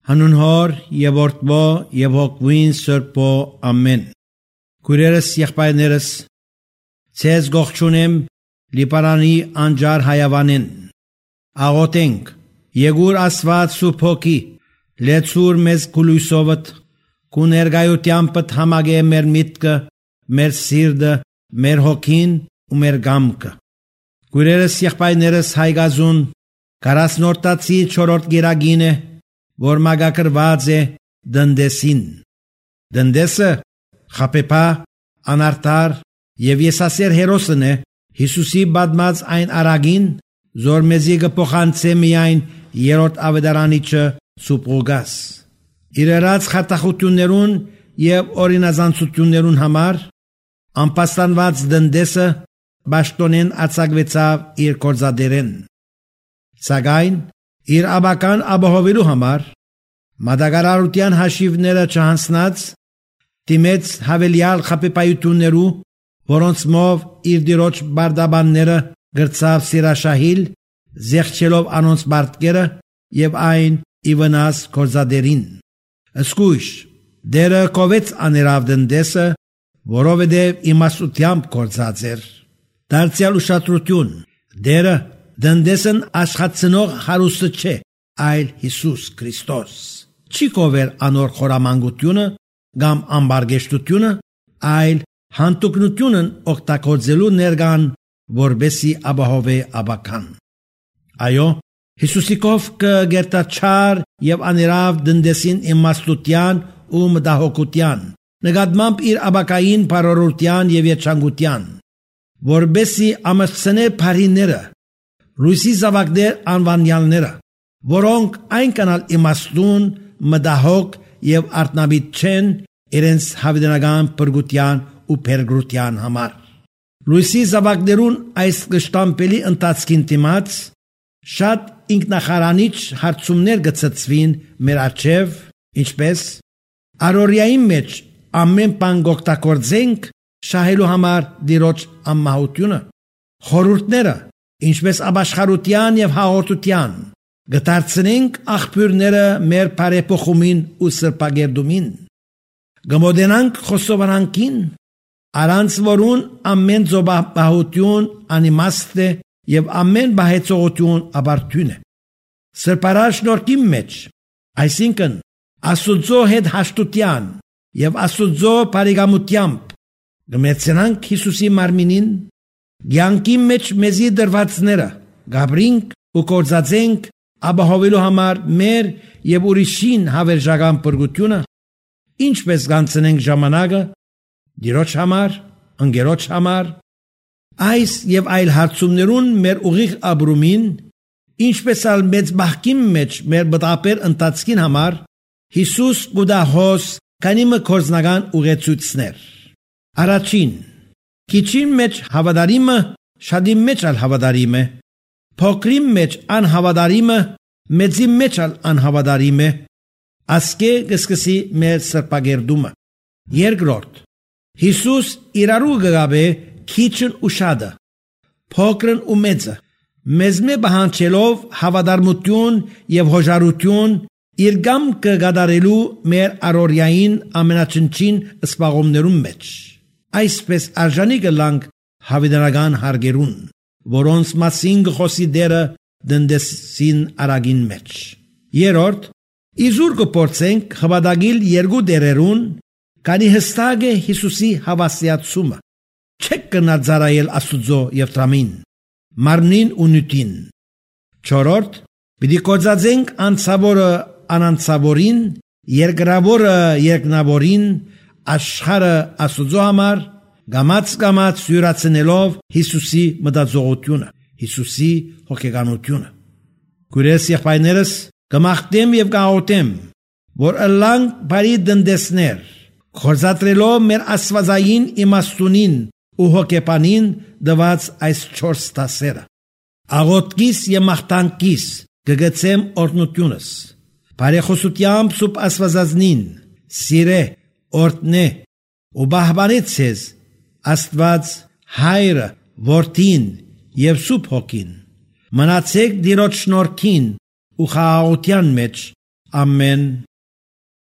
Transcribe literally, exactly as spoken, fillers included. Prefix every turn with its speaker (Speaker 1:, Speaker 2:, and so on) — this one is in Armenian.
Speaker 1: Հանուն Հոր եւ Որդվո եւ Հոգվին Սրբո ամեն։ Քույրերս, եղբայրներս, ցեզ գողջունեմ Լիբարանի անջար հայավանին։ Աղոթենք, Եգուր Աստված Սուրբ Հոգի, լեցուր մեզ գլույսովդ, քու ներգայությամբ համագե մեր միտքը, մեր սիրտը, մեր հոգին ու մեր գամքը։ Քույրերս, եղբայրներս, հայգազուն քառասնորդացի չորրորդ գիրագին է, որ մագակրված է դնդեսին։ Դնդեսը խապեպա, անարտար եւ եսասեր հերոսն է Հիսուսի բադմած այն արագին, զոր մեզի կփոխանցե միայն երրորդ ավետարանիչը Սուպրուգաս։ Իրարած խատախություններուն եւ օրինազանցություններուն համար անպաստանված դնդեսը բաշտոնեն արձակվեցավ իր կորզադերեն։ Սակայն իր աբական ապահովելու համար մատակարարության հաշիվները չհանձնած դիմեց հավելյալ խապեպայություններու, որոնց մով իր դիրոջ բարդաբանները գրծավ սիրաշահիլ, զեղչելով անոնց բարտկերը եւ այն ի վնաս կորզադերին։ Սկույշ դերը կովեց աներավ դնդեսը, որովհետև իմաստությամբ կորզած էր։ Դարձյալ ուշադրություն, դերը դնդեսն աշխատցնող հարուստը չէ, այլ Հիսուս Քրիստոս։ Չի կովել անոր խորամանկությունը կամ ամբարգեշտությունը, այլ հանդուկնությունն օգտագործելու ներգան, որբեսի ապահովե աբական։ Այո, Հիսուսիկով կգերտաչար եւ աներավ դնդեսին իմաստության ու մտահոգության, նկատմամբ իր աբակային բարօրության եւ երջանկության, որբեսի ամրցնե բարիները, լույսի զավակներ անվանյալները, որոնք այնքանալ իմաստուն, մտահոգ եւ արտնաբիտ չեն իրենց հավիտենական փրկության ու փրկության համար։ Լույսի զավակներուն այս կշտամպելի ընթացքին դիմաց շատ ինքնախարանիչ հարցումներ գծծվին մեր առջև, ինչպես առօրյայի մեջ ամեն բան օգտագործենք շահելու համար դիրոջ անմահությունը, խորհուրդները, ինչպես ապաշխարության եւ հաղորդության, գտարցնենք աղբյուրները մեր բարեփոխումին ու սրբագերդումին, գմոդենանք խոսովանանքին, առանց որուն ամեն զոբահություն անիմաստ է եւ ամեն բահեցողություն ապարդյուն է։ Սրբարար շնորհքի մեջ, այսինքն Աստուծո հետ հաշտության եւ Աստուծո բարեկամությամբ գմեցնանք Հիսուսի մարմինին, ցանկի մեջ մեզի դրվածները գաբրինք ու կորզածենք ապահովելու համար մեր եւ ուրիշին հավերժական փրկությունը, ինչպես գանցնենք ժամանակը դիրոջ համար, ընկերոջ համար, այս եւ այլ հարցումներուն մեր ուղիղ ապրումին, ինչպես ալ մեծ բախքին մեջ մեր բտապեր ընթացքին համար Հիսուս գուդահոս կանիմը կորզնական ուղեցույցներ։ Առաջին, քիչին մեջ հավատարիմը շատի մեջ ալ հավատարիմ է, փոքրի մեջ անհավատարիմը մեծի մեջ ալ անհավատարիմ է, ասկե կսկսի մեր սրբագերդումը։ Երկրորդ, Հիսուս իրարու գգաբե քիչն ու շատը, փոքրն ու մեծը, մեզմե բանջելով հավատարմություն եւ հոժարություն իր գամքը գադարելու մեր առօրյային ամենաչնչին սպաղումներում մեջ։ Այսպես արժանի կլանք հավիտենական հարգերուն, որոնց մասին գխոսի դերը դնդեսին արագին մեջ։ Երորդ, իզուր կփորձենք հավատագիլ երկու դերերուն, քանի հստակ է Հիսուսի հավասարացումը։ Չեք կնա ծառայել Աստուծո եւ Տրամին, մարմնին ու նյութին։ Չորրորդ, պիտի կոծածենք անցավորը անանցավորին, երկրավորը երկնավորին, աշխարհը Աստուծո համար, գամած-գամած յուրացնելով Հիսուսի մտածողությունը, Հիսուսի հոգեկանությունը։ Քույրերս, եղբայրներս, կմաղթեմ եւ կաղոթեմ, որ ըլլանք բարի դնդեսներ, կորզատրելով մեր աստվածային իմաստունին ու հոգեպանին դված այս չորս տասերը։ Աղոթքիս եւ մաղթանքիս կգցեմ օրհնությունս, բարեխոսությամբ սուբ աստվածածնին, սիրե, օրհնե ու բահբանեց ձեզ Աստված Հայրը, Որդին եւ Սուրբ Հոգին։ Մնացեք դիրոջ շնորհքին ու խաղաղության մեջ Ամեն